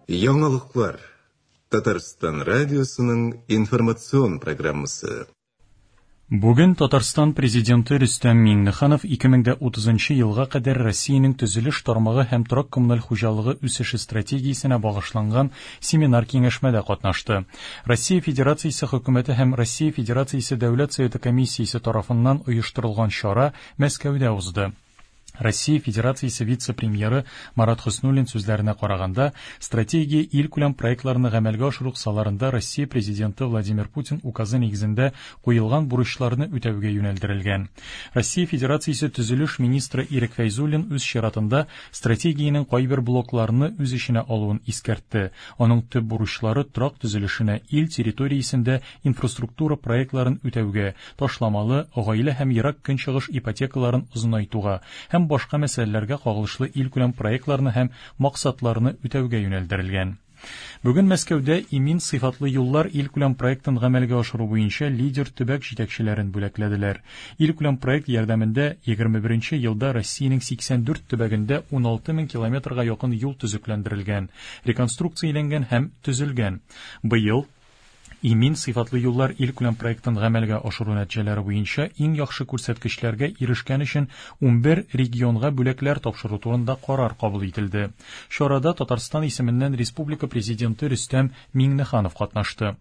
Яңалыклар. Татарстан радиосының информацион программасы. Бүген Татарстан Президенты Рөстәм Миңнеханов 2030 елга кадәр Россиянең төзелеш тармагы һәм торак-коммуналь хуҗалыгы үсеше стратегиясенә багышланган семинар-киңәшмәдә катнашты. Россия Федерациясе Хөкүмәте һәм Россия Федерациясе Дәүләт Советы комиссиясе тарафыннан оештырылган чара Мәскәүдә узды. Россия Федерациясе вице-премьеры Марат Хөснуллин сүзләренә караганда, стратегия илкүләм проектларны гамәлгә ашыру кысаларында Россия Президенты Владимир Путин указы нигезендә куелган бурычларны үтәүгә юнәлдерелгән. Россия Федерациясе төзелеш министры Ирек Фәйзуллин үз чиратында стратегиянең кайбер блокларны үз эченә алуын искәртте. Аның төп бурычлары торак төзелешенә ил территориясендә инфраструктура проектларын үтәүгә, ташламалы, гаилә һәм Ерак Көнчыгыш ипотекаларын озынайтуга һәм башка мәсьәләләргә кагылышлы илкүләм проектларны һәм максатларны үтәүгә юнәлдерелгән. Бүген Мәскәүдә Имин сыйфатлы юллар илкүләм проектын гамәлгә ашыру буенча лидер төбәк җитәкчеләрен бүләкләделәр. Илкүләм проект ярдәмендә 21 елда Россиянең 84 төбәгендә 16 мең километрга якын юл төзекләндерелгән, реконструкцияләнгән һәм төзелгән. Быел Имин сыйфатлы юллар илкүләм проектын гамәлгә ашыру нәтиҗәләре буенча иң яхшы күрсәткечләргә ирешкән өчен 11 регионга бүләкләр тапшыру турында карар кабул ителде. Чарада Татарстан исеменнән республика Президенты Рөстәм Миңнеханов катнашты.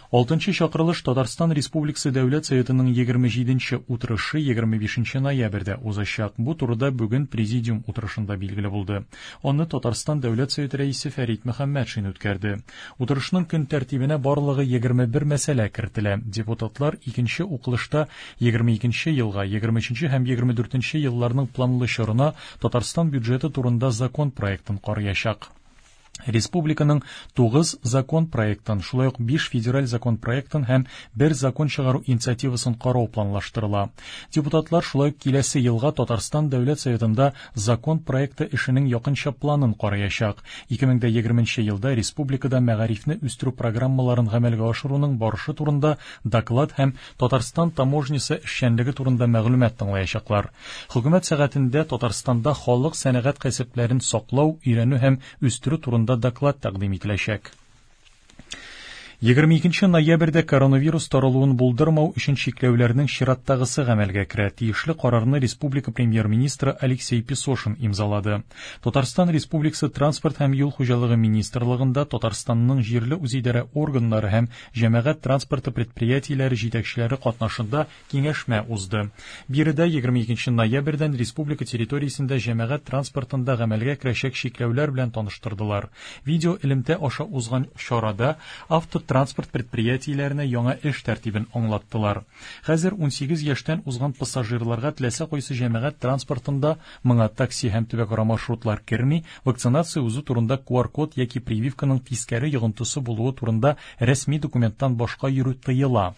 Алтынчы чакырылыш Татарстан Республикасы Дәүләт Советының 27 утырышы 25 ноябрьдә узачак. Бу турыда бүген президиум утырышында билгеле булды. Аны Татарстан Дәүләт Советы рәисе Фәрит Мөхәммәтшин үткәрде. Утырышның көн тәртибенә барлыгы 21 мәсьәлә кертелә. Депутатлар икенче укылышта 22 елга, 23 һәм 24 елларның планлы чорына Татарстан бюджеты турында закон проектын караячак. Республиканың 9 закон проектын, шулай ук 5 федераль закон проектын һәм 1 закон чыгару инициативасын карау планлаштырыла. Депутатлар шулай ук киләсе елга Татарстан Дәүләт Советында закон проекты эшенең якынча планын караячак. 2020 елда республикада мәгарифне үстерү программаларын гамәлгә ашыруның барышы турында доклад һәм Татарстан таможнясы эшчәнлеге турында мәгълүмат тыңлаячаклар. Хөкүмәт сәгатендә Татарстанда халык сәнәгать кәсепләрен саклау, өйрәнү һәм үстерү турында доклад тәкъдим ителәчәк. 22 ноябрьдә коронавирус таралуын булдырмау өчен чикләүләрнең чираттагысы гамәлгә керә. Тиешле карарны республика премьер-министры Алексей Песошин имзалады. Татарстан Республикасы Транспорт һәм юл хуҗалыгы министрлыгында Татарстанның җирле үзидарә органнары һәм җәмәгать транспорты предприятиеләре җитәкчеләре катнашында киңәшмә узды. Биредә 22 ноябрьдән республика территориясендә җәмәгать транспортында гамәлгә керәчәк чикләүләр белән таныштырдылар. Видео элемтә аша узган чарада автотранспорт предприятиеләренә яңа эш тәртибен аңлаттылар. Хәзер 18 яшьтән узган пассажирларга теләсә кайсы җәмәгать транспортында, моңа такси һәм төбәкара маршрутлар керми, вакцинация узу турында QR-код яки прививканың тискәре йогынтысы булуы турында рәсми документтан башка йөрү тыела.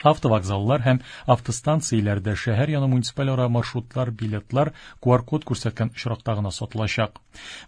Автовокзаллар һәм автостанцияләрдә шәһәр яны муниципаль ара маршрутлар билетлар QR-код күрсәткән очракта гына сатылачак.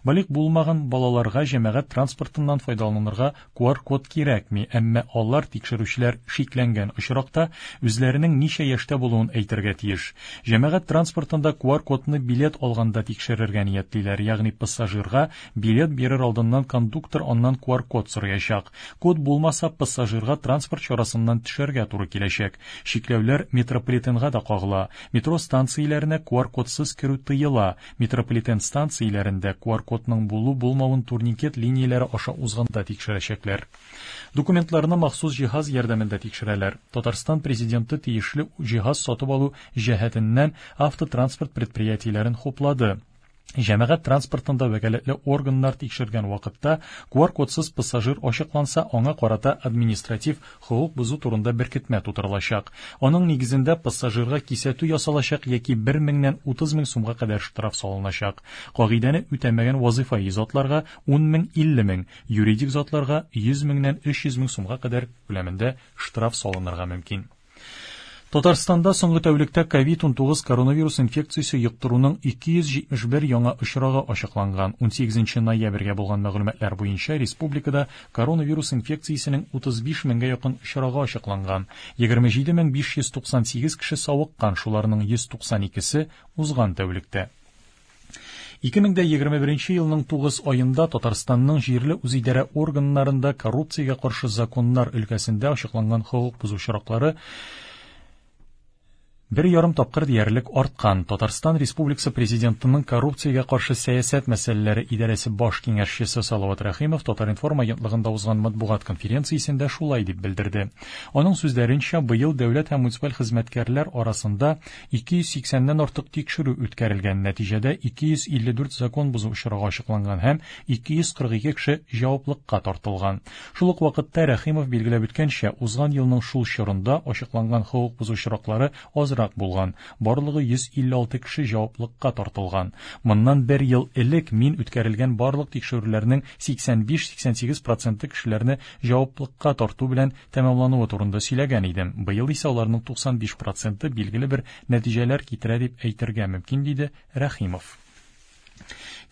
Балигъ булмаган балаларга җәмәгать транспортыннан файдаланырга QR-код кирәкми, әмма алар тикшерүчеләр шикләнгән очракта үзләренең ничә яшьтә булуын әйтергә тиеш. Җәмәгать транспортында QR-кодны билет алганда тикшерергә ниятлиләр, ягъни пассажирга билет бирер алдыннан кондуктор аннан QR-код сораячак. Код булмаса, пассажирга транспорт чарасыннан төшәргә туры киләчәк. Чикләүләр метрополитенга да кагыла. Метро станцияләренә QR-кодсыз керү тыела. Метрополитен станцияләрендә QR-кодның булу-булмавын турникет линияләре аша узганда тикшерәчәкләр. Документларны махсус җиһаз ярдәмендә тикшерәләр. Татарстан президенты тиешле җиһаз сатып алу җәһәтеннән автотранспорт предприятиеләрен хуплады. Җәмәгать транспортында вәкаләтле органнар тикшергән вакытта QR-кодсыз пассажир ачыкланса, аңа карата административ хокук бозу турында беркетмә тутырылачак. Аның нигезендә пассажирга кисәтү ясалачак яки 1 меңнән 30 мең сумга кадәр штраф салыначак. Кагыйдәне үтәмәгән вазыйфаи затларга 10 мең 50 мең, юридик затларга 100 меңнән 300 мең сумга кадәр күләмендә штраф салынырга мөмкин. Татарстанда соңгы тәүлектә COVID-19 коронавирус инфекциясе йоктыруның 271 яңа очрагы ачыкланган. 18 ноябрьгә булган мәгълүматлар буенча республикада коронавирус инфекциясенең 35 меңгә якын очрагы ачыкланган. 27598 кеше савыккан, шуларның 192-се узган тәүлектә. 2021 елның 9 аенда Татарстанның җирле үзидарә органнарында коррупциягә каршы законнар өлкәсендә ачыкланган хокук бозу очраклары бер ярым тапкыр диярлек арткан. Татарстан Республикасы Президентының коррупциягә каршы сәясәт мәсьәләләре идарәсе баш киңәшчесе Салават Рәхимов Татар-информ агентлыгында узган матбугат конференциясендә шулай дип белдерде. Аның сүзләренчә, быел дәүләт һәм муниципаль хезмәткәрләр арасында 280-нән артык тикшерү үткәрелгән. Нәтиҗәдә 254 закон бозу очрагы ачыкланган һәм 242 кеше җаваплылыкка тартылган. Шул ук вакытта Рәхимов билгеләп үткәнчә, узган елның шул чорында ачыкланган хокук бозу очраклары азрак булган. Барлыгы 156 кеше җаваплылыкка тартылган. Моннан бер ел элек мин үткәрелгән барлык тикшерүләрнең 85-88 проценты кешеләрне җаваплылыкка тарту белән тәмамлануы турында сөйләгән идем. Быел исә аларның 95 проценты билгеле бер нәтиҗәләр китерә дип әйтергә мөмкин, диде Рәхимов.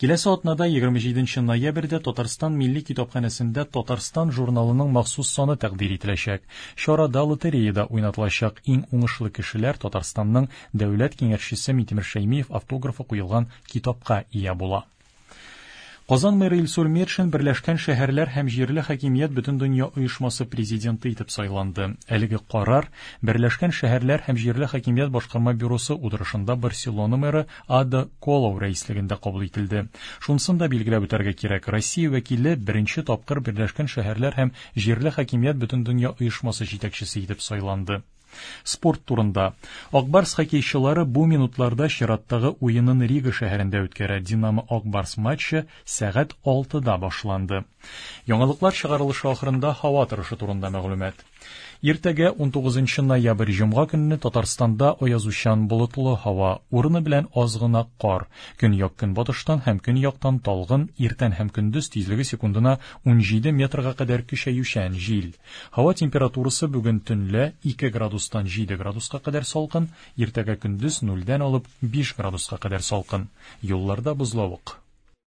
Киләсе атнада 27 ноябрьдә Татарстан Милли китапханәсендә Татарстан журналының махсус саны тәкъдир ителәчәк. Чарада лотереяда уйнатылачак иң уңышлы кешеләр Татарстанның дәүләт киңәшчесе Минтимер Шәймиев автографы куелган китапка ия була. Казан мэры Илсур Метшин Берләшкән шәһәрләр һәм җирле хакимият Бөтендөнья оешмасы президенты итеп сайланды. Әлеге карар Берләшкән шәһәрләр һәм җирле хакимият башкарма бюросы утырышында Барселона мэры Ада Колау рәислегендә кабул ителде. Шунысын да билгеләп үтәргә кирәк, Россия вәкиле беренче тапкыр Берләшкән шәһәрләр һәм җирле хакимият Бөтендөнья оешмасы җитәкчесе итеп сайланды. Спорт турында. Ак Барс хоккейчылары бу минутларда чираттагы уенын Рига шәһәрендә үткәрә. Динамо Ак Барс матчы сәгать 6-да башланды. Яңалыклар чыгарылышы ахырында һава торышы турында мәгълүмат. Иртәгә 19 ноябрь җомга көнне Татарстанда аязучан болытлы һава, урыны белән аз гына кар. Көньяк көнбатыштан һәм көньяктан талгын, иртән һәм көндез тизлеге секундына 17 метрга кадәр көчәючән җил. Һава температурасы бүген төнлә 2 градустан 7 градуска кадәр салкын, иртәгә көндез 0-дән алып 5 градуска кадәр салкын. Юлларда бозлавык.